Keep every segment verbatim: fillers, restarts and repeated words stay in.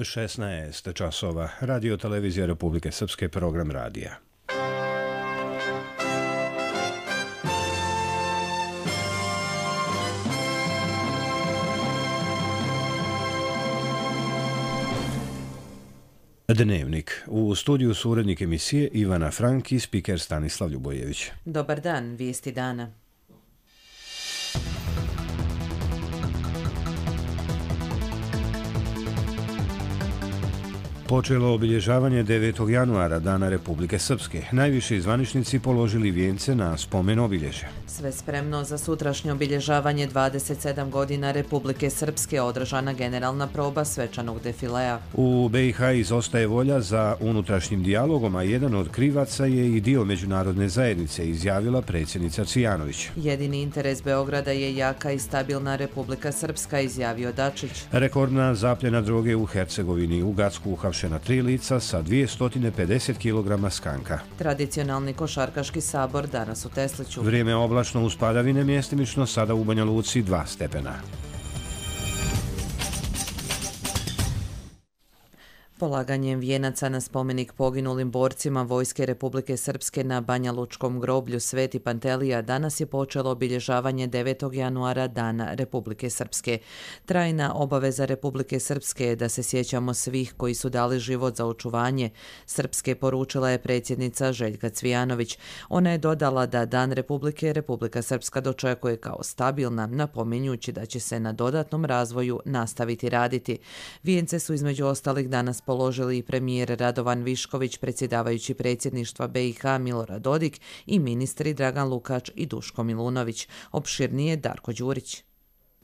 šesnaest časova. Radio televizija Republike Srpske, program radija. Dnevnik. U studiju su urednik emisije Ivana Frank i spiker Stanislav Ljubojević. Dobar dan, vijesti dana. Počelo obilježavanje devetog januara, Dana Republike Srpske. Najviši zvaničnici položili vijence na spomen obilježja. Sve spremno za sutrašnje obilježavanje dvadeset sedam godina Republike Srpske, održana generalna proba svečanog defilea. U B i H izostaje volja za unutrašnjim dijalogom, a jedan od krivaca je i dio međunarodne zajednice, izjavila predsjednica Cvijanović. Jedini interes Beograda je jaka i stabilna Republika Srpska, izjavio Dačić. Rekordna zapljena droge u Hercegovini. U Gacku uhapšena tri lica sa dvjesto pedeset kilograma skanka. Tradicionalni košarkaški sabor danas u Tesliću. Vrijeme oblačno uz padavine, mjestimično sada u Banja Luci dva stepena. Polaganjem vijenaca na spomenik poginulim borcima Vojske Republike Srpske na Banjalučkom groblju Sveti Pantelija danas je počelo obilježavanje devetog januara, Dana Republike Srpske. Trajna obaveza Republike Srpske je da se sjećamo svih koji su dali život za očuvanje Srpske, poručila je predsjednica Željka Cvijanović. Ona je dodala da Dan Republike Republika Srpska dočekuje kao stabilna, napominjući da će se na dodatnom razvoju nastaviti raditi. Vijence su između ostalih danas položili i premijer Radovan Višković, predsjedavajući predsjedništva B i H Milorad Dodik i ministri Dragan Lukač i Duško Milunović. Opširnije Darko Đurić.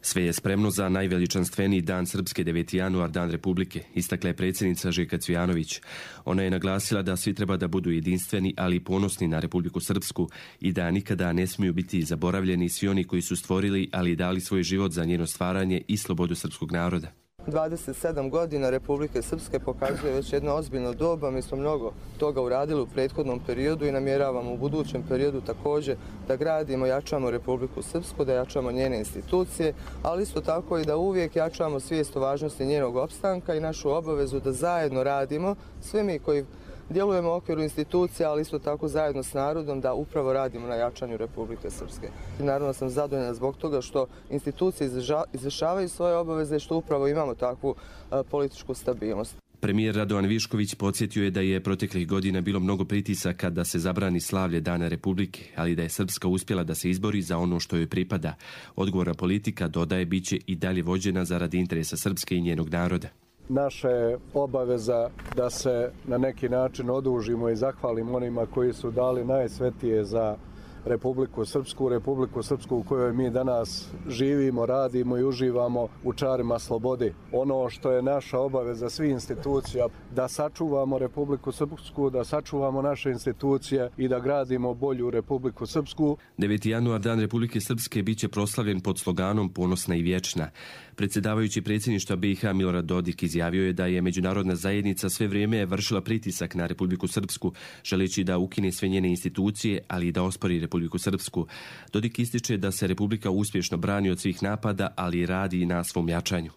Sve je spremno za najveličanstveniji Dan Srpske, deveti januar, Dan Republike, istakla je predsjednica Željka Cvijanović. Ona je naglasila da svi treba da budu jedinstveni, ali i ponosni na Republiku Srpsku i da nikada ne smiju biti zaboravljeni svi oni koji su stvorili, ali i dali svoj život za njeno stvaranje i slobodu srpskog naroda. dvadeset sedam godina Republike Srpske pokazuje već jedno ozbiljno doba. Mi smo mnogo toga uradili u prethodnom periodu i namjeravamo u budućem periodu također da gradimo, jačamo Republiku Srpsku, da jačamo njene institucije, ali isto tako i da uvijek jačamo svijest o važnosti njenog opstanka i našu obavezu da zajedno radimo, svi mi koji djelujemo u okviru institucija, ali isto tako zajedno s narodom, da upravo radimo na jačanju Republike Srpske. I naravno sam zadovoljna zbog toga što institucije izvršavaju svoje obaveze i što upravo imamo takvu a, političku stabilnost. Premijer Radovan Višković podsjetio je da je proteklih godina bilo mnogo pritisaka da se zabrani slavlje Dana Republike, ali da je Srpska uspjela da se izbori za ono što joj pripada. Odgovorna politika, dodaje, bit će i dalje vođena zaradi interesa Srpske i njenog naroda. Naša je obaveza da se na neki način odužimo i zahvalimo onima koji su dali najsvetije za Republiku Srpsku, Republiku Srpsku u kojoj mi danas živimo, radimo i uživamo u čarima slobodi. Ono što je naša obaveza svih institucija, da sačuvamo Republiku Srpsku, da sačuvamo naše institucije i da gradimo bolju Republiku Srpsku. deveti januar, Dan Republike Srpske, bit će proslavljen pod sloganom Ponosna i vječna. Predsjedavajući predsjedništva B i H Milorad Dodik izjavio je da je međunarodna zajednica sve vrijeme vršila pritisak na Republiku Srpsku, želeći da ukine sve njene institucije, ali i da ospori Republiku Srpsku. Dodik ističe da se Republika uspješno brani od svih napada, ali i radi i na svom jačanju.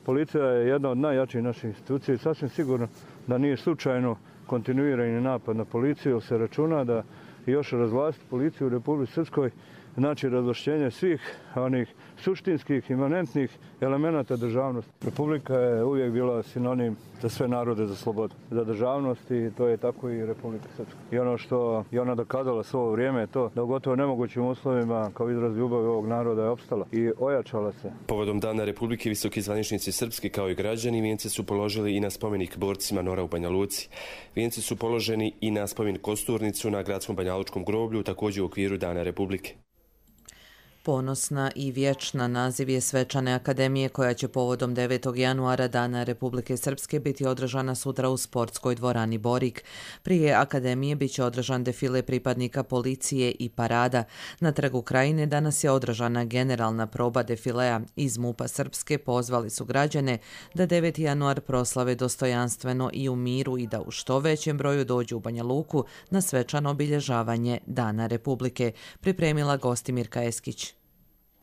Policija je jedna od najjačih naših institucija i sasvim sigurno da nije slučajno kontinuirani napad na policiju, se računa da još razvlastiti policiju u Republici Srpskoj znači razvlašćenje svih onih suštinskih, imanentnih elemenata državnosti. Republika je uvijek bila sinonim za sve narode, za slobodu, za državnost i to je tako i Republika Srpska. I ono što je ona dokazala svo vrijeme je to da u gotovo nemogućim uslovima kao izraz ljubavi ovog naroda je opstala i ojačala se. Povodom Dana Republike visoki zvaničnici Srpske kao i građani vijence su položili i na spomenik borcima Nora u Banja Luci. Vijence su položeni i na spomenik Kosturnicu na gradskom Banjalučkom groblju, također u okviru Dana Republike. Ponosna i vječna naziv je svečane akademije koja će povodom devetog januara Dana Republike Srpske biti održana sutra u sportskoj dvorani Borik. Prije akademije bit će održan defile pripadnika policije i parada. Na Trgu Krajine danas je održana generalna proba defilea. Iz MUP-a Srpske pozvali su građane da deveti januar proslave dostojanstveno i u miru i da u što većem broju dođu u Banja Luku na svečano obilježavanje Dana Republike, pripremila Gostimirka Eskić.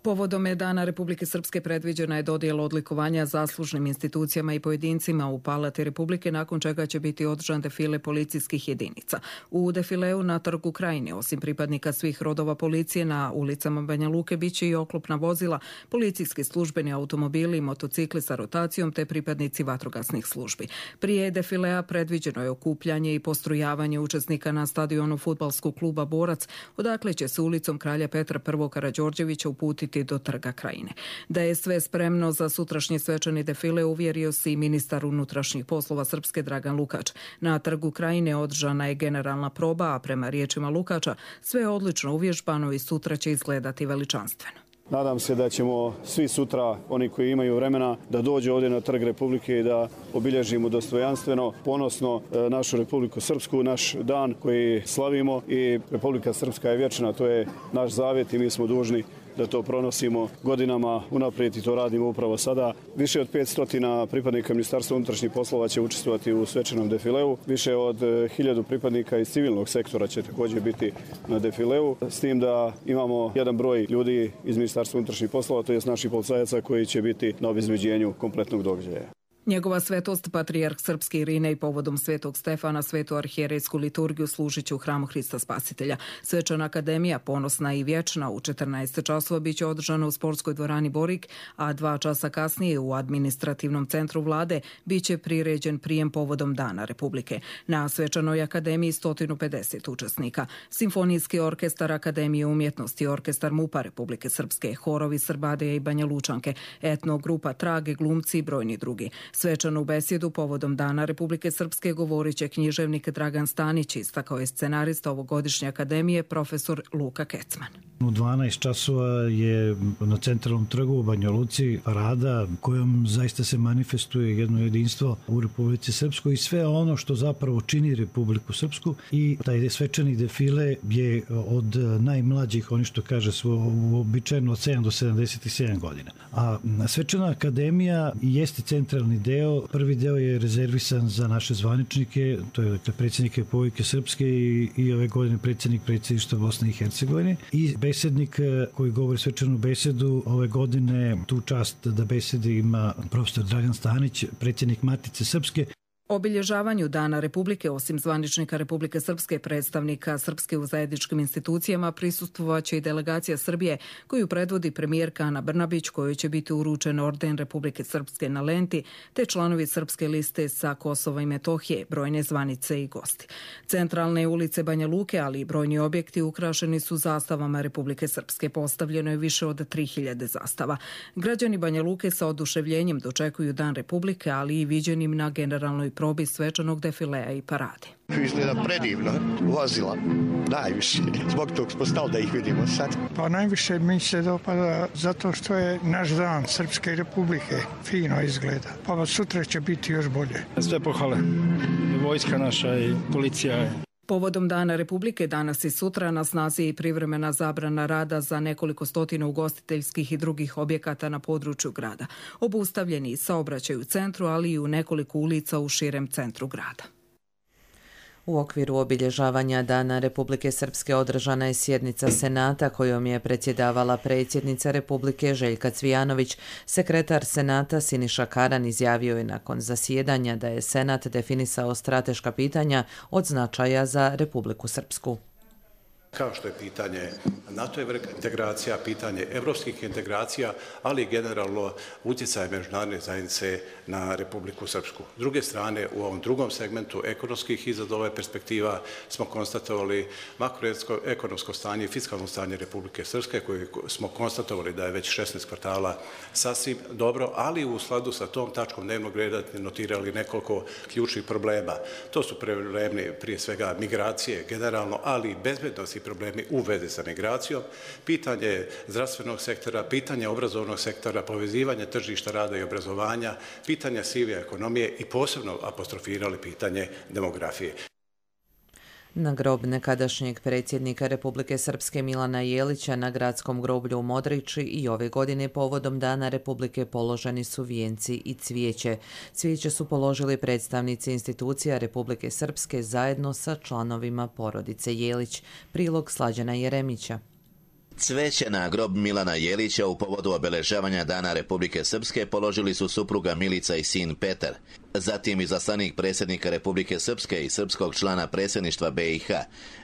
Povodom je Dana Republike Srpske predviđena je dodjela odlikovanja zaslužnim institucijama i pojedincima u Palati Republike, nakon čega će biti održan defile policijskih jedinica. U defileu na Trgu Krajine, osim pripadnika svih rodova policije, na ulicama Banja Luke biće i oklopna vozila, policijski službeni automobili i motocikli sa rotacijom te pripadnici vatrogasnih službi. Prije defilea predviđeno je okupljanje i postrojavanje učesnika na stadionu fudbalskog kluba Borac, odakle će se ulicom Kralja Petra I. Karađorđevića uputiti do Trga Krajine. Da je sve spremno za sutrašnji svečani defile uvjerio se i ministar unutrašnjih poslova Srpske Dragan Lukač. Na Trgu Krajine održana je generalna proba, a prema riječima Lukača sve je odlično uvježbano i sutra će izgledati veličanstveno. Nadam se da ćemo svi sutra, oni koji imaju vremena, da dođu ovdje na Trg Republike i da obilježimo dostojanstveno, ponosno našu Republiku Srpsku, naš dan koji slavimo, i Republika Srpska je vječna, to je naš zavjet i mi smo dužni da to pronosimo godinama unaprijed i to radimo upravo sada. Više od petsto pripadnika Ministarstva unutrašnjih poslova će učestvovati u svečanom defileu. Više od hiljadu pripadnika iz civilnog sektora će također biti na defileu. S tim da imamo jedan broj ljudi iz Ministarstva unutrašnjih poslova, to jest naših policajaca koji će biti na obezbeđenju kompletnog događaja. Njegova svetost, patrijarh Srpske Irine, i povodom Svetog Stefana svetu arhijerejsku liturgiju služit će u hramu Hrista Spasitelja. Svečana akademija, ponosna i vječna, u četrnaest časova biće održana u sportskoj dvorani Borik, a dva časa kasnije u administrativnom centru vlade biće priređen prijem povodom Dana Republike. Na svečanoj akademiji sto pedeset učesnika. Simfonijski orkestar Akademije umjetnosti, orkestar MUP-a Republike Srpske, horovi Srbadeja i Banja Lučanke, etnogrupa Trage, glumci i brojni drugi. Svečanu besjedu povodom Dana Republike Srpske govorit će književnik Dragan Stanić, istakao je scenarista ovogodišnje akademije profesor Luka Kecman. U dvanaest časova je na centralnom trgu u Banja Luci parada kojom zaista se manifestuje jedno jedinstvo u Republici Srpskoj i sve ono što zapravo čini Republiku Srpsku, i taj svečani defile je od najmlađih, oni što kaže, uobičajeno od sedam do sedamdeset sedam godina. A svečana akademija jeste centralni deo. Prvi deo je rezervisan za naše zvaničnike, to je dakle predsjednik Republike Srpske i, i ove godine predsjednik predsjedništva Bosne i Hercegovine, i besednik koji govori svečanu besedu ove godine tu čast da besedi ima profesor Dragan Stanić, predsjednik Matice Srpske. Obilježavanju Dana Republike, osim zvaničnika Republike Srpske, predstavnika Srpske u zajedničkim institucijama, prisustvovaće i delegacija Srbije, koju predvodi premijerka Ana Brnabić, kojoj će biti uručen orden Republike Srpske na lenti, te članovi Srpske liste sa Kosova i Metohije, brojne zvanice i gosti. Centralne ulice Banja Luke, ali i brojni objekti ukrašeni su zastavama Republike Srpske. Postavljeno je više od tri hiljade zastava. Građani Banja Luke sa oduševljenjem dočekuju Dan Republike, ali i viđenim na generalnoj probi svečanog defilea i parade. Izgleda predivno, vozila, najviše. Zbog tog smo stali da ih vidimo sad. Pa najviše mi se dopada zato što je naš dan Srpske Republike. Fino izgleda. Pa sutra će biti još bolje. Sve pohvale. Vojska naša i policija je. Povodom Dana Republike danas i sutra na snazi je i privremena zabrana rada za nekoliko stotina ugostiteljskih i drugih objekata na području grada. Obustavljeni saobraćaj u centru, ali i u nekoliko ulica u širem centru grada. U okviru obilježavanja Dana Republike Srpske održana je sjednica Senata kojom je predsjedavala predsjednica Republike Željka Cvijanović. Sekretar Senata Siniša Karan izjavio je nakon zasjedanja da je Senat definisao strateška pitanja od značaja za Republiku Srpsku. Kao što je pitanje NATO integracija, pitanje evropskih integracija, ali i generalno utjecaj međunarodne zajednice na Republiku Srpsku. S druge strane, u ovom drugom segmentu ekonomskih izazova i perspektiva smo konstatovali makroekonomsko stanje i fiskalno stanje Republike Srpske, koje smo konstatovali da je već šesnaest kvartala sasvim dobro, ali u skladu sa tom tačkom dnevnog reda notirali nekoliko ključnih problema. To su problemi prije svega migracije generalno, ali i bezbednosti problemi u vezi sa migracijom, pitanje zdravstvenog sektora, pitanje obrazovnog sektora, povezivanje tržišta rada i obrazovanja, pitanje sive ekonomije i posebno apostrofirali pitanje demografije. Na grob nekadašnjeg predsjednika Republike Srpske Milana Jelića na gradskom groblju u Modriči i ove godine povodom Dana Republike položeni su vijenci i cvijeće. Cvijeće su položili predstavnici institucija Republike Srpske zajedno sa članovima porodice Jelić. Prilog Slađana Jeremića. Cveće na grob Milana Jelića u povodu obeležavanja Dana Republike Srpske položili su supruga Milica i sin Petar. Zatim izaslanik predsjednika Republike Srpske i srpskog člana predsjedništva B i H,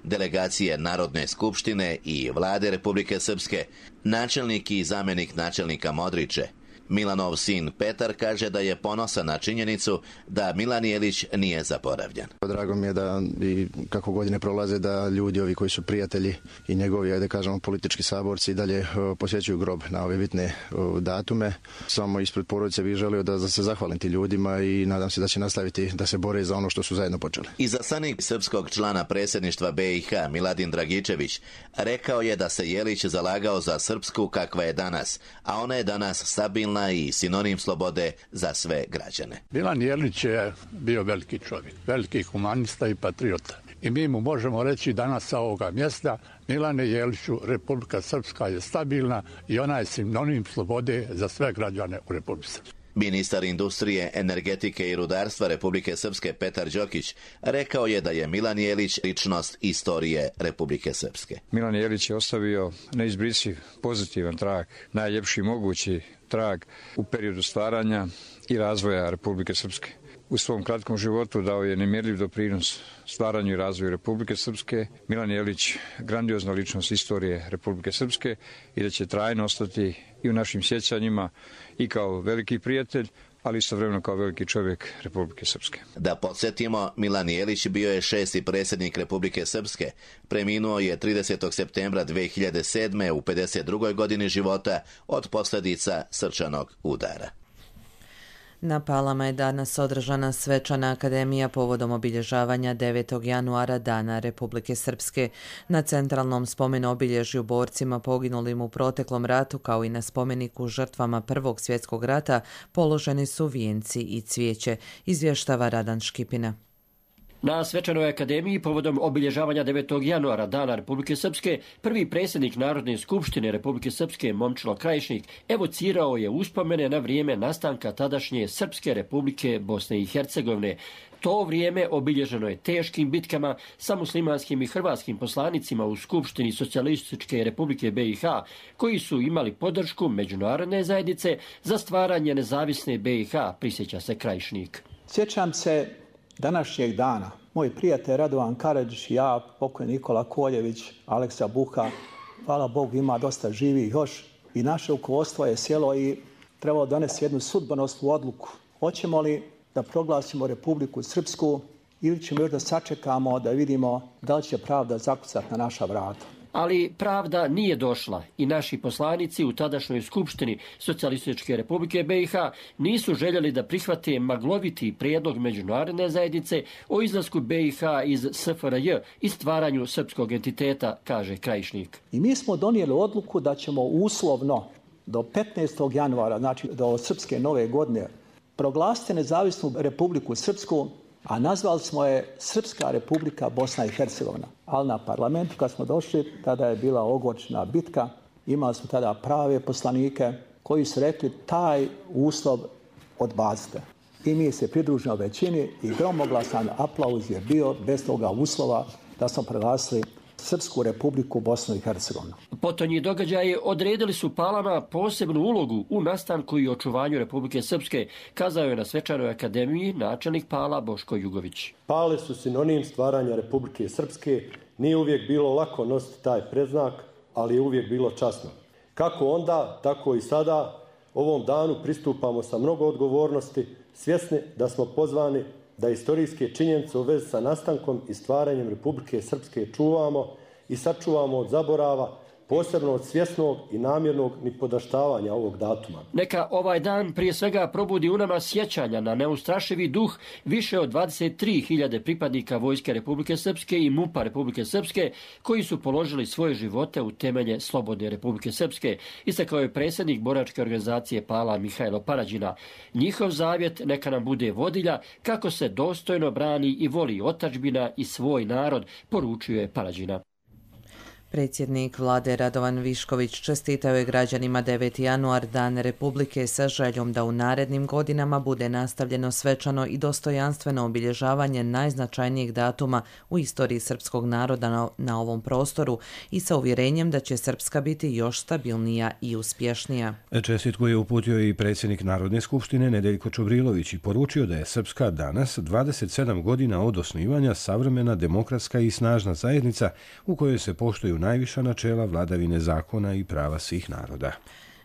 delegacije Narodne skupštine i vlade Republike Srpske, načelnik i zamjenik načelnika Modriče. Milanov sin Petar kaže da je ponosan na činjenicu da Milan Jelić nije zaboravljen. Drago mi je da i kako godine prolaze da ljudi ovi koji su prijatelji i njegovi, ajde kažemo, politički saborci i dalje posjećuju grob na ove bitne datume. Samo ispred porodice bih želio da se zahvalim ti ljudima i nadam se da će nastaviti da se bore za ono što su zajedno počeli. Izaslanik srpskog člana predsjedništva B i H Miladin Dragičević rekao je da se Jelić zalagao za Srpsku kakva je danas, a ona je danas stabilna i sinonim slobode za sve građane. Milan Jelić je bio veliki čovjek, veliki humanista i patriota. I mi mu možemo reći danas sa ovoga mjesta: Milane Jeliću, Republika Srpska je stabilna i ona je sinonim slobode za sve građane u Republici Srpskoj. Ministar industrije, energetike i rudarstva Republike Srpske Petar Đokić rekao je da je Milan Jelić ličnost istorije Republike Srpske. Milan Jelić je ostavio neizbrisiv pozitivan trag, najljepši mogući trag u periodu stvaranja i razvoja Republike Srpske. U svom kratkom životu dao je nemjerljiv doprinos stvaranju i razvoju Republike Srpske. Milan Jelić, grandiozna ličnost istorije Republike Srpske i da će trajno ostati i u našim sjećanjima i kao veliki prijatelj, ali istovremeno kao veliki čovjek Republike Srpske. Da podsjetimo, Milan Jelić bio je šesti predsjednik Republike Srpske. Preminuo je tridesetog septembra dve hiljade sedme u pedeset drugoj godini života od posljedica srčanog udara. Na Palama je danas održana svečana akademija povodom obilježavanja devetog januara Dana Republike Srpske. Na centralnom spomenu obilježju borcima poginulim u proteklom ratu, kao i na spomeniku žrtvama Prvog svjetskog rata, položeni su vijenci i cvijeće, izvještava Radan Škipina. Na svečanoj akademiji povodom obilježavanja devetog januara Dana Republike Srpske, prvi predsjednik Narodne skupštine Republike Srpske Momčilo Krajišnik evocirao je uspomene na vrijeme nastanka tadašnje Srpske Republike Bosne i Hercegovine. To vrijeme obilježeno je teškim bitkama sa muslimanskim i hrvatskim poslanicima u Skupštini Socijalističke Republike B i H, koji su imali podršku međunarodne zajednice za stvaranje nezavisne B i H, prisjeća se Krajišnik. Sjećam se današnjeg dana. Moj prijatelj Radovan Karadžić, ja, pokojni Nikola Koljević, Aleksa Buha, hvala Bogu ima dosta živi još, i naše rukovodstvo je sjelo i trebalo donesti jednu sudbonosnu odluku. Hoćemo li da proglasimo Republiku Srpsku ili ćemo još da sačekamo da vidimo da li će pravda zakucati na naša vrata. Ali pravda nije došla i naši poslanici u tadašnjoj Skupštini Socijalističke Republike B i H nisu željeli da prihvate magloviti prijedlog međunarodne zajednice o izlasku B i H iz S F R J i stvaranju srpskog entiteta, kaže Krajišnik. I mi smo donijeli odluku da ćemo uslovno do petnaestog januara, znači do Srpske nove godine, proglasiti nezavisnu Republiku Srpsku, a nazvali smo je Srpska Republika Bosna i Hercegovina. Ali na parlamentu kad smo došli, tada je bila ogorčna bitka, imali smo tada prave poslanike koji su rekli taj uslov odbacite. I mi se pridružimo većini i gromoglasan aplauz je bio bez toga uslova da smo proglasili Srpsku Republiku Bosnu i Hercegovinu. Potonji događaji odredili su Palama posebnu ulogu u nastanku i očuvanju Republike Srpske, kazao je na svečanoj akademiji načelnik Pala Boško Jugović. Pale su sinonim stvaranja Republike Srpske. Nije uvijek bilo lako nositi taj predznak, ali je uvijek bilo časno. Kako onda, tako i sada, ovom danu pristupamo sa mnogo odgovornosti, svjesni da smo pozvani da istorijske činjenice u vezi sa nastankom i stvaranjem Republike Srpske čuvamo i sačuvamo od zaborava, posebno od svjesnog i namjernog nipodaštavanja ovog datuma. Neka ovaj dan prije svega probudi u nama sjećanja na neustrašivi duh više od dvadeset tri hiljade pripadnika Vojske Republike Srpske i MUP-a Republike Srpske koji su položili svoje živote u temelje slobodne Republike Srpske, istakao je predsjednik boračke organizacije Pala Mihajlo Parađina. Njihov zavjet neka nam bude vodilja kako se dostojno brani i voli otadžbina i svoj narod, poručio je Parađina. Predsjednik vlade Radovan Višković čestitao je građanima deveti januar, Dan Republike, sa željom da u narednim godinama bude nastavljeno svečano i dostojanstveno obilježavanje najznačajnijeg datuma u istoriji srpskog naroda na, na ovom prostoru i sa uvjerenjem da će Srpska biti još stabilnija i uspješnija. Čestitku je uputio i predsjednik Narodne skupštine Nedeljko Čubrilović i poručio da je Srpska danas, dvadeset sedam godina od osnivanja, savremena, demokratska i snažna zajednica u kojoj se poštuju najviša načela vladavine zakona i prava svih naroda.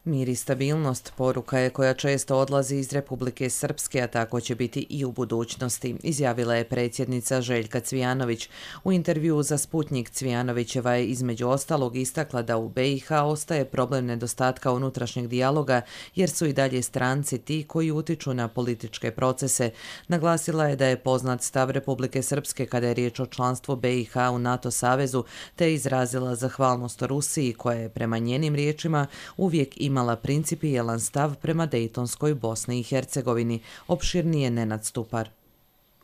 Mir i stabilnost poruka je koja često odlazi iz Republike Srpske, a tako će biti i u budućnosti, izjavila je predsjednica Željka Cvijanović. U intervjuu za Sputnjik Cvijanovićeva je između ostalog istakla da u be i ha ostaje problem nedostatka unutrašnjeg dijaloga, jer su i dalje stranci ti koji utiču na političke procese. Naglasila je da je poznat stav Republike Srpske kada je riječ o članstvu be i ha u NATO savezu, te izrazila zahvalnost Rusiji koja je prema njenim riječima uvijek imala imala principijelan stav prema Dejtonskoj Bosni i Hercegovini, opširnije Nenad Stupar.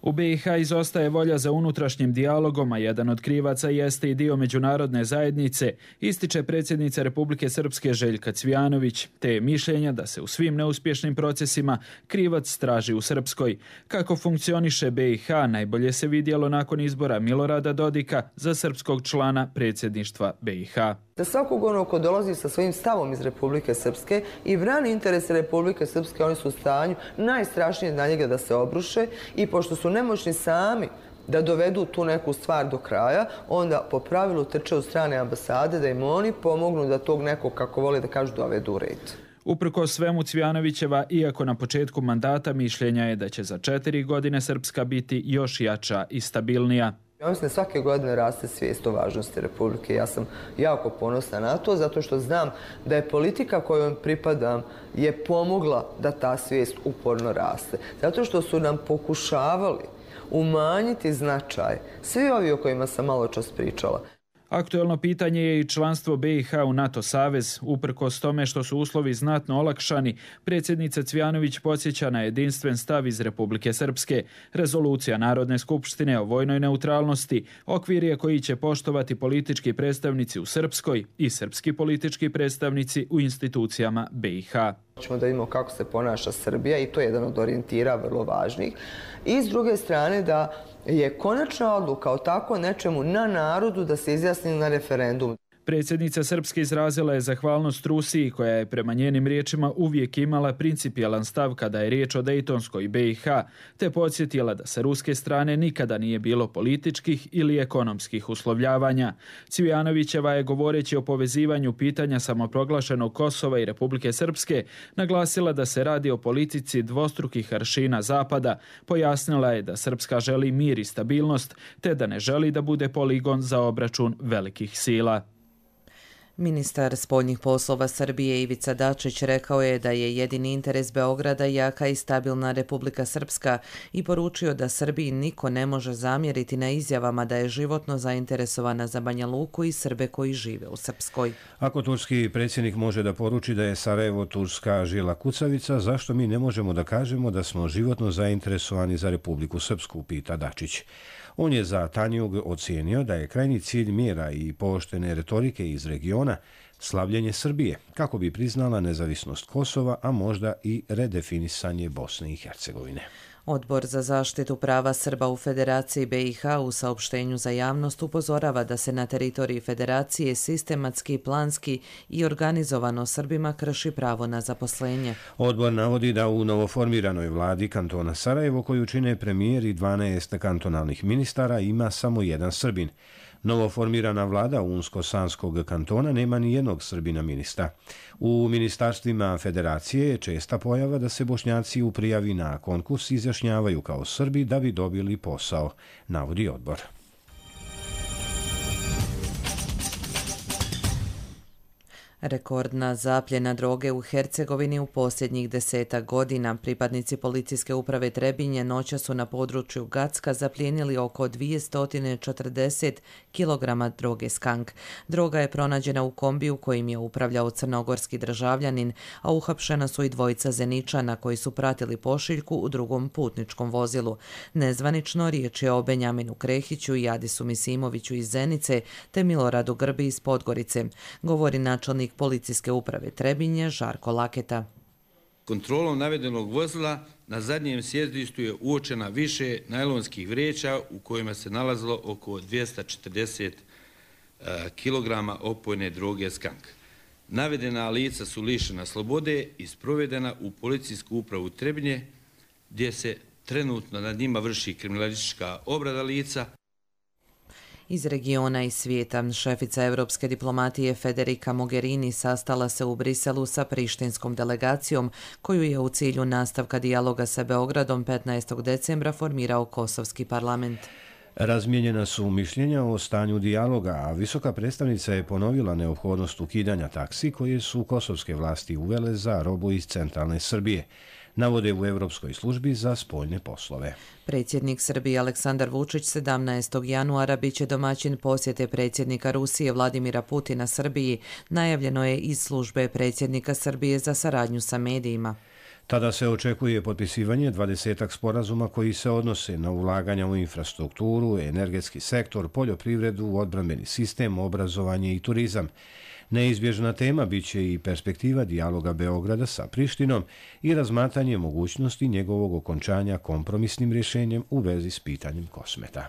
U be i ha izostaje volja za unutrašnjim dijalogom, a jedan od krivaca jeste i dio međunarodne zajednice, ističe predsjednica Republike Srpske Željka Cvijanović, te je mišljenja da se u svim neuspješnim procesima krivac traži u Srpskoj. Kako funkcioniše be i ha najbolje se vidjelo nakon izbora Milorada Dodika za srpskog člana predsjedništva be i ha. Da svakog onog ko dolazi sa svojim stavom iz Republike Srpske i brani interese Republike Srpske, oni su u stanju najstrašnije na njega da se obruše i pošto su nemoćni sami da dovedu tu neku stvar do kraja, onda po pravilu trče u strane ambasade da im oni pomognu da tog nekog, kako vole da kažu, dovedu u red. Uprkos svemu, Cvijanovićeva, iako na početku mandata, mišljenja je da će za četiri godine Srpska biti još jača i stabilnija. Ja mislim da svake godine raste svijest o važnosti Republike. Ja sam jako ponosna na to, zato što znam da je politika kojom pripadam je pomogla da ta svijest uporno raste. Zato što su nam pokušavali umanjiti značaj svi ovi o kojima sam malo čas pričala. Aktuelno pitanje je i članstvo be i ha u NATO savez. Uprkos tome što su uslovi znatno olakšani, predsjednica Cvijanović podsjeća na jedinstven stav iz Republike Srpske. Rezolucija Narodne skupštine o vojnoj neutralnosti okvir je koji će poštovati politički predstavnici u Srpskoj i srpski politički predstavnici u institucijama be i ha. Hoćemo da vidimo kako se ponaša Srbija i to je jedan od orijentira vrlo važnih. I s druge strane da je konačna odluka o tako nečemu na narodu da se izjasni na referendum. Predsjednica Srpske izrazila je zahvalnost Rusiji koja je prema njenim riječima uvijek imala principijelan stav kada je riječ o Dejtonskoj be i ha, te podsjetila da sa ruske strane nikada nije bilo političkih ili ekonomskih uslovljavanja. Cvijanovićeva je, govoreći o povezivanju pitanja samoproglašenog Kosova i Republike Srpske, naglasila da se radi o politici dvostrukih aršina Zapada. Pojasnila je da Srpska želi mir i stabilnost, te da ne želi da bude poligon za obračun velikih sila. Ministar spoljnih poslova Srbije Ivica Dačić rekao je da je jedini interes Beograda jaka i stabilna Republika Srpska i poručio da Srbiji niko ne može zamjeriti na izjavama da je životno zainteresovana za Banja Luku i Srbe koji žive u Srpskoj. Ako turski predsjednik može da poruči da je Sarajevo turska žila kucavica, zašto mi ne možemo da kažemo da smo životno zainteresovani za Republiku Srpsku, pita Dačić. On je za Tanjug ocijenio da je krajnji cilj mjera i pooštrene retorike iz regiona slavljenje Srbije, kako bi priznala nezavisnost Kosova, a možda i redefinisanje Bosne i Hercegovine. Odbor za zaštitu prava Srba u Federaciji be i ha u saopštenju za javnost upozorava da se na teritoriji Federacije sistematski, planski i organizovano Srbima krši pravo na zaposlenje. Odbor navodi da u novoformiranoj vladi kantona Sarajevo, koju čine premijer i dvanaest kantonalnih ministara, ima samo jedan Srbin. Novoformirana vlada Unsko-Sanskog kantona nema ni jednog Srbina ministra. U ministarstvima Federacije je česta pojava da se Bošnjaci u prijavi na konkurs izjašnjavaju kao Srbi da bi dobili posao, navodi odbor. Rekordna zapljena droge u Hercegovini u posljednjih desetak godina. Pripadnici policijske uprave Trebinje noća su na području Gacka zaplijenili oko dvjesto četrdeset kilograma droge skank. Droga je pronađena u kombiju kojim je upravljao crnogorski državljanin, a uhapšena su i dvojica Zeničana koji su pratili pošiljku u drugom putničkom vozilu. Nezvanično riječ je o Benjaminu Krehiću i Adisu Misimoviću iz Zenice te Miloradu Grbi iz Podgorice, govori načelnik policijske uprave Trebinje Žarko Laketa. Kontrolom navedenog vozila na zadnjem sjedištu je uočena više najlonskih vreća u kojima se nalazilo oko dvjesto četrdeset kilograma opojne droge skank. Navedena lica su lišena slobode i sprovedena u policijsku upravu Trebinje, gdje se trenutno nad njima vrši kriminalistička obrada lica. Iz regiona i svijeta, šefica europske diplomatije Federica Mogherini sastala se u Briselu sa prištinskom delegacijom koju je u cilju nastavka dijaloga sa Beogradom petnaestog decembra formirao Kosovski parlament. Razmijenjena su mišljenja o stanju dijaloga, a visoka predstavnica je ponovila neophodnost ukidanja taksi koje su kosovske vlasti uvele za robu iz centralne Srbije, navode u Europskoj službi za spoljne poslove. Predsjednik Srbije Aleksandar Vučić sedamnaestog januara biće domaćin posjete predsjednika Rusije Vladimira Putina Srbiji, najavljeno je iz službe predsjednika Srbije za saradnju sa medijima. Tada se očekuje potpisivanje dvadesetak sporazuma koji se odnose na ulaganja u infrastrukturu, energetski sektor, poljoprivredu, odbrambeni sistem, obrazovanje i turizam. Neizbježna tema biće i perspektiva dijaloga Beograda sa Prištinom i razmatranje mogućnosti njegovog okončanja kompromisnim rješenjem u vezi s pitanjem Kosmeta.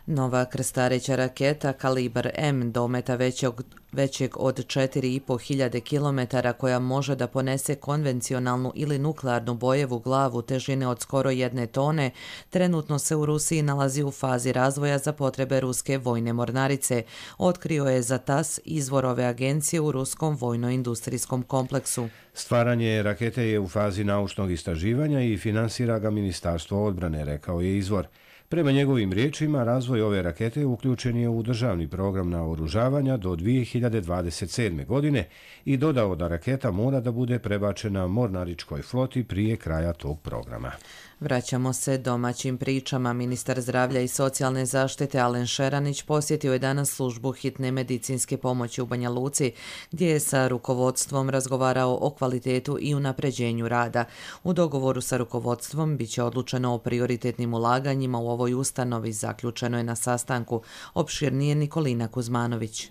Nova krstareća raketa Kalibar M dometa većeg, većeg od četiri i po hiljade kilometara koja može da ponese konvencionalnu ili nuklearnu bojevu glavu težine od skoro jedne tone, trenutno se u Rusiji nalazi u fazi razvoja za potrebe ruske vojne mornarice, otkrio je za tas izvor ove agencije u ruskom vojno-industrijskom kompleksu. Stvaranje rakete je u fazi naučnog istraživanja i finansira ga Ministarstvo odbrane, rekao je izvor. Prema njegovim riječima, razvoj ove rakete uključen je u državni program naoružavanja do dvije hiljade dvadeset sedme. godine i dodao da raketa mora da bude prebačena mornaričkoj floti prije kraja tog programa. Vraćamo se domaćim pričama. Ministar zdravlja i socijalne zaštite Alen Šeranić posjetio je danas službu hitne medicinske pomoći u Banja Luci, gdje je sa rukovodstvom razgovarao o kvalitetu i unapređenju rada. U dogovoru sa rukovodstvom biće odlučeno o prioritetnim ulaganjima u ovoj ustanovi, zaključeno je na sastanku. Opširnije Nikolina Kuzmanović.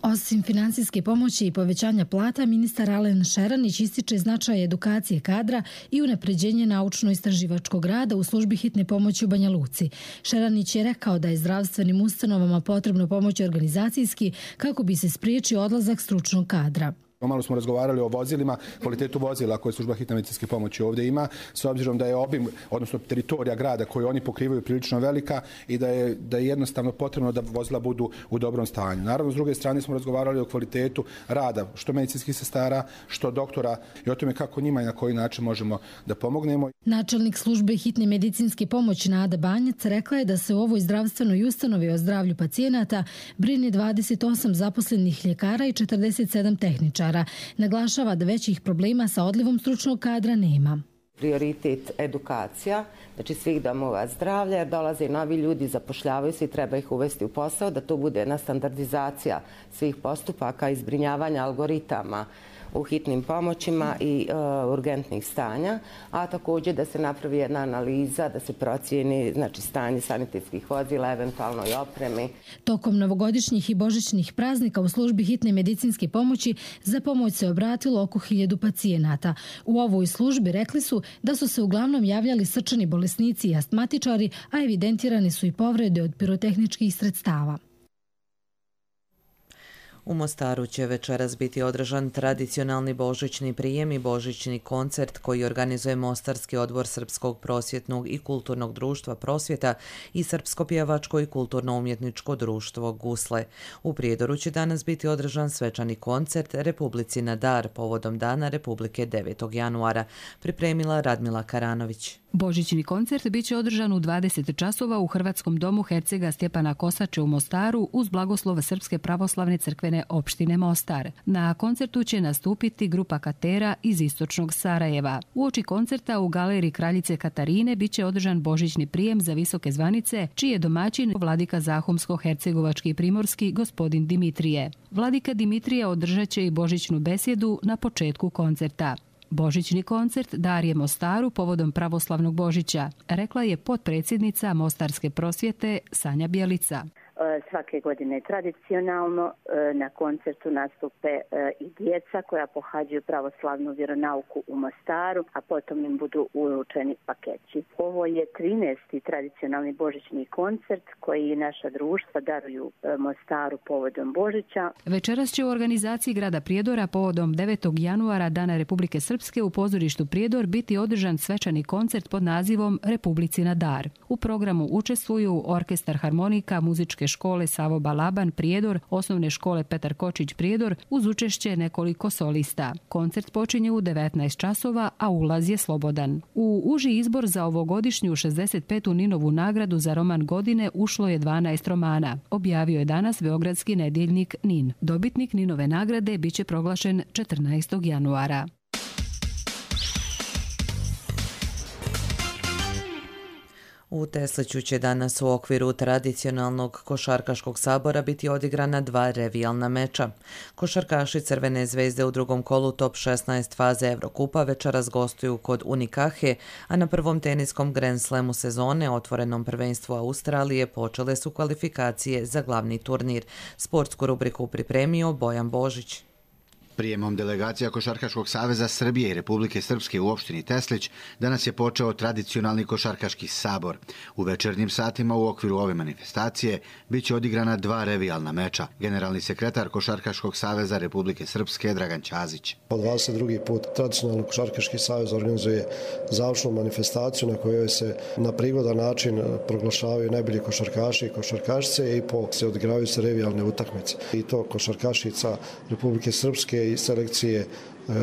Osim finansijske pomoći i povećanja plata, ministar Alen Šeranić ističe značaj edukacije kadra i unapređenje naučno-istraživačkog rada u službi hitne pomoći u Banja Luci. Šeranić je rekao da je zdravstvenim ustanovama potrebno pomoći organizacijski kako bi se spriječio odlazak stručnog kadra. Malo smo razgovarali o vozilima, kvalitetu vozila koje služba hitne medicinske pomoći ovdje ima, s obzirom da je obim, odnosno teritorija grada koju oni pokrivaju prilično velika i da je, da je jednostavno potrebno da vozila budu u dobrom stanju. Naravno, s druge strane smo razgovarali o kvalitetu rada, što medicinskih sestara, što doktora i o tome kako njima i na koji način možemo da pomognemo. Načelnik službe hitne medicinske pomoći Nada Banjac rekla je da se u ovoj zdravstvenoj ustanovi o zdravlju pacijenata brine dvadeset osam zaposlenih ljekara i četrdeset sedam tehničara. Naglašava da većih problema sa odlivom stručnog kadra nema. Prioritet edukacija, znači svih domova zdravlja, jer dolaze novi ljudi, zapošljavaju se i treba ih uvesti u posao, da to bude jedna standardizacija svih postupaka i zbrinjavanja algoritama u hitnim pomoćima i e, urgentnih stanja, a također da se napravi jedna analiza, da se procijeni znači, stanje sanitetskih vozila, eventualno i opremi. Tokom novogodišnjih i božićnih praznika u službi hitne medicinske pomoći za pomoć se obratilo oko hiljadu pacijenata. U ovoj službi rekli su da su se uglavnom javljali srčani bolesnici i astmatičari, a evidentirane su i povrede od pirotehničkih sredstava. U Mostaru će večeras biti održan tradicionalni božićni prijem i božićni koncert koji organizuje Mostarski odbor Srpskog prosvjetnog i kulturnog društva Prosvjeta i Srpsko pjevačko i kulturno-umjetničko društvo Gusle. U Prijedoru će danas biti održan svečani koncert Republici na dar povodom Dana Republike devetog januara, pripremila Radmila Karanović. Božićni koncert biće održan u dvadeset časova u Hrvatskom domu hercega Stjepana Kosače u Mostaru uz blagoslov Srpske pravoslavne crkve skupštine opštine Mostar. Na koncertu će nastupiti grupa Katera iz istočnog Sarajeva. Uoči koncerta u galeriji Kraljice Katarine biće održan božićni prijem za visoke zvanice, čiji je domaćin vladika Zahumsko-hercegovački i primorski gospodin Dimitrije. Vladika Dimitrije održat će i božićnu besjedu na početku koncerta. Božićni koncert darje Mostaru povodom pravoslavnog Božića, rekla je potpredsjednica Mostarske prosvjete Sanja Bjelica. Svake godine tradicionalno na koncertu nastupe i djeca koja pohađaju pravoslavnu vjeronauku u Mostaru, a potom im budu uručeni paketi. Ovo je trinaesti tradicionalni božićni koncert koji naša društva daruju Mostaru povodom Božića. Večeras će u organizaciji grada Prijedora povodom devetog januara Dana Republike Srpske u pozorištu Prijedor biti održan svečani koncert pod nazivom Republici na dar. U programu učestvuju Orkestar harmonika muzičke škole Savo Balaban Prijedor, osnovne škole Petar Kočić Prijedor uz učešće nekoliko solista. Koncert počinje u devetnaest časova, a ulaz je slobodan. U uži izbor za ovogodišnju šezdeset petu Ninovu nagradu za roman godine ušlo je dvanaest romana. Objavio je danas beogradski nedjeljnik Nin. Dobitnik Ninove nagrade biće proglašen četrnaestog januara. U Tesliću će danas u okviru tradicionalnog košarkaškog sabora biti odigrana dva revijalna meča. Košarkaši Crvene zvezde u drugom kolu top šesnaest faze Evrokupa večeras gostuju kod Unikahe, a na prvom teniskom Grand Slamu sezone, otvorenom prvenstvu Australije, počele su kvalifikacije za glavni turnir. Sportsku rubriku pripremio Bojan Božić. Prijemom delegacija Košarkaškog saveza Srbije i Republike Srpske u opštini Teslić danas je počeo tradicionalni košarkaški sabor. U večernjim satima u okviru ove manifestacije biće odigrana dva revijalna meča. Generalni sekretar Košarkaškog saveza Republike Srpske Dragan Ćazić. Po dvadeset drugi put tradicionalni Košarkaški savez organizuje završnu manifestaciju na kojoj se na prigodan način proglašavaju najbolji košarkaši i košarkašice i po se odigravaju se revijalne utakmice. I to košarkašica Republike Srpske i selekcije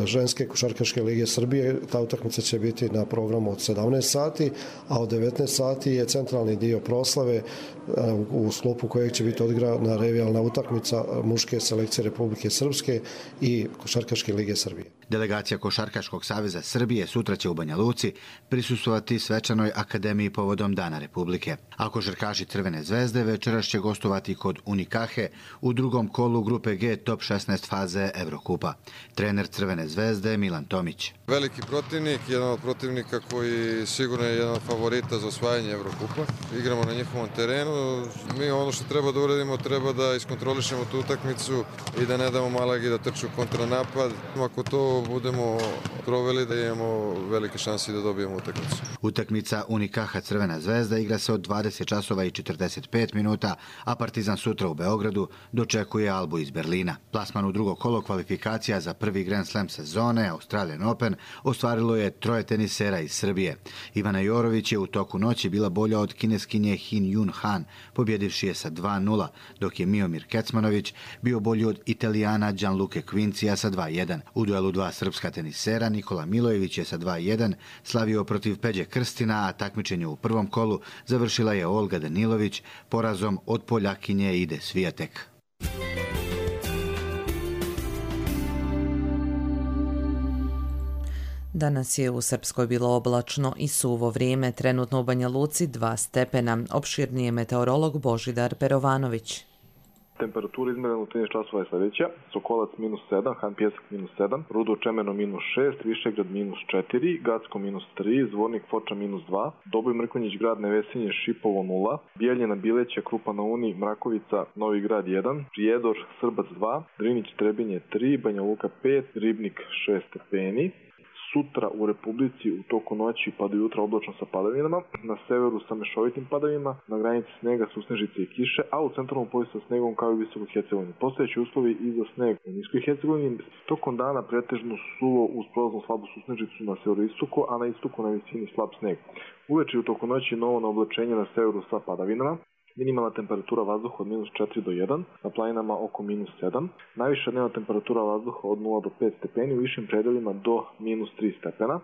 ženske košarkaške lige Srbije. Ta utakmica će biti na programu od sedamnaest sati, a od devetnaest sati je centralni dio proslave u sklopu kojeg će biti odigrana revijalna utakmica muške selekcije Republike Srpske i košarkaške lige Srbije. Delegacija Košarkaškog saveza Srbije sutra će u Banja Luci prisustvovati svečanoj akademiji povodom Dana Republike. A košarkaši Crvene zvezde večeras će gostovati kod Unikahe u drugom kolu grupe G top šesnaest faze Evrokupa. Trener Crvene zvezde Milan Tomić. Veliki protivnik, jedan od protivnika koji sigurno je jedan od favorita za osvajanje Evrokupa. Igramo na njihovom terenu. Mi ono što treba da uradimo, treba da iskontrolišemo tu utakmicu i da ne damo Malagi da trču kontranapad. Ako to budemo proveli, da imamo velike šanse da dobijemo utakmicu. Utakmica Unikaha Crvena zvezda igra se od dvadeset časova i četrdeset pet minuta, a Partizan sutra u Beogradu dočekuje Albu iz Berlina. Plasman u drugo kolo kvalifikacija za prvi Grand Slam sezone Australian Open ostvarilo je troje tenisera iz Srbije. Ivana Jorović je u toku noći bila bolja od kineskinje Hin Jun Han, pobjedivši je sa dva nula, dok je Miomir Kecmanović bio bolji od Italijana Gianluca Quincija sa dva jedan. U duelu dva srpska tenisera Nikola Milojević je sa dva jedan slavio protiv Peđe Krstina, a takmičenje u prvom kolu završila je Olga Danilović porazom od Poljakinje Ide Svijatek. Danas je u Srpskoj bilo oblačno i suvo vrijeme, trenutno u Banja Luci dva stepena. Opširniji je meteorolog Božidar Perovanović. Temperatura izmerena u trinaest časova je sljedeća: Sokolac minus sedam, Han Pjesak minus sedam, Rudo Čemeno minus šest, Višegrad minus četiri, Gacko minus tri, Zvornik Foča minus dva, Doboj Mrkonjić Grad Nevesinje Šipovo nula, Bijeljina Bileća Krupa na Uni Mrakovica Novi Grad jedan, Prijedor Srbac dva, Drinić Trebinje tri, Banja Luka pet, Ribnik šest stepeni. Sutra u Republici u toku noći pa do jutra oblačno sa padavinama, na severu sa mešovitim padavima, na granici snega, susnežice i kiše, a u centralnom pojasu sa snegom kao i visokoj Hercegovini. Postojeći uslovi i za sneg u niskoj Hercegovini. Tokom dana pretežno suvo uz prolaznu slabu susnežicu na severoistoku, a na istoku na visini slab sneg. Uveče u toku noći novo na oblačenje na severu sa padavinama. Minimalna temperatura vazduha od minus četiri do jedan, na planinama oko minus sedam. Najviša dnevna temperatura vazduha od nula do pet stepeni, u višim predelima do minus tri stepena.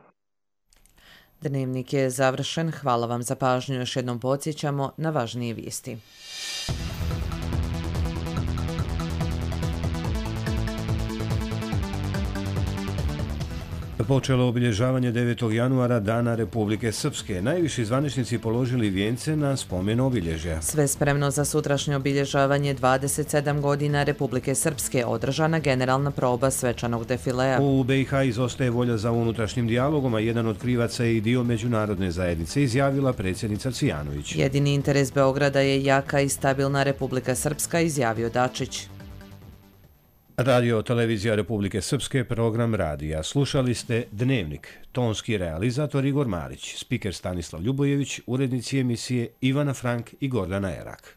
Dnevnik je završen. Hvala vam za pažnju. Još jednom podsjećamo na važnije vijesti. Počelo obilježavanje devetog januara Dana Republike Srpske. Najviši zvaničnici položili vijence na spomen obilježja. Sve spremno za sutrašnje obilježavanje dvadeset sedam godina Republike Srpske, održana generalna proba svečanog defilea. U B i H izostaje volja za unutrašnjim dijalogom, a jedan od krivaca je i dio međunarodne zajednice, izjavila predsjednica Cijanović. Jedini interes Beograda je jaka i stabilna Republika Srpska, izjavio Dačić. Radio televizija Republike Srpske, program radija. Slušali ste Dnevnik. Tonski realizator Igor Marić, spiker Stanislav Ljubojević, urednici emisije Ivana Frank i Gordana Erak.